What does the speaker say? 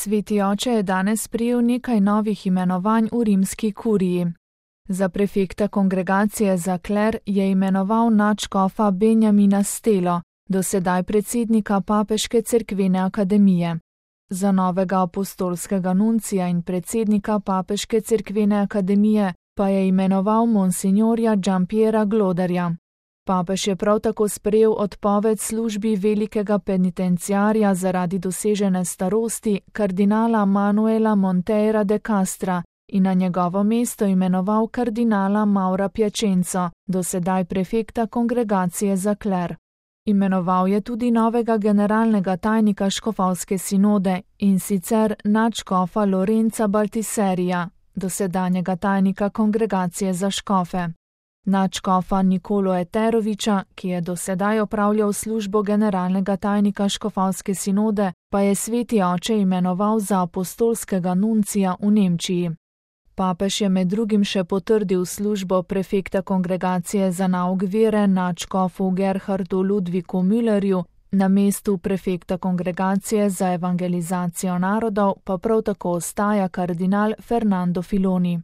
Sveti oče je danes sprejel nekaj novih imenovanj v rimski kuriji. Za prefekta kongregacije za kler je imenoval nadškofa Benjamina Stelo, dosedaj predsednika Papeške cerkvene akademije. Za novega apostolskega nuncija in predsednika Papeške cerkvene akademije pa je imenoval monsinjorja Giampiera Gloderja. Papež je prav tako sprejel odpoved službi velikega penitenciarja zaradi dosežene starosti kardinala Manuela Monteira de Castra in na njegovo mesto imenoval kardinala Maura Piacenzo, dosedaj prefekta kongregacije za kler. Imenoval je tudi novega generalnega tajnika škofovske sinode, in sicer nadškofa Lorenza Baltiserija, dosedanjega tajnika kongregacije za škofe. Nadškofa Nikolo Eteroviča, ki je dosedaj opravljal službo generalnega tajnika škofovske sinode, pa je sveti oče imenoval za apostolskega nuncija v Nemčiji. Papež je med drugim še potrdil službo prefekta kongregacije za nauk vere nadškofu Gerhardu Ludviku Müllerju, na mestu prefekta kongregacije za evangelizacijo narodov pa prav tako ostaja kardinal Fernando Filoni.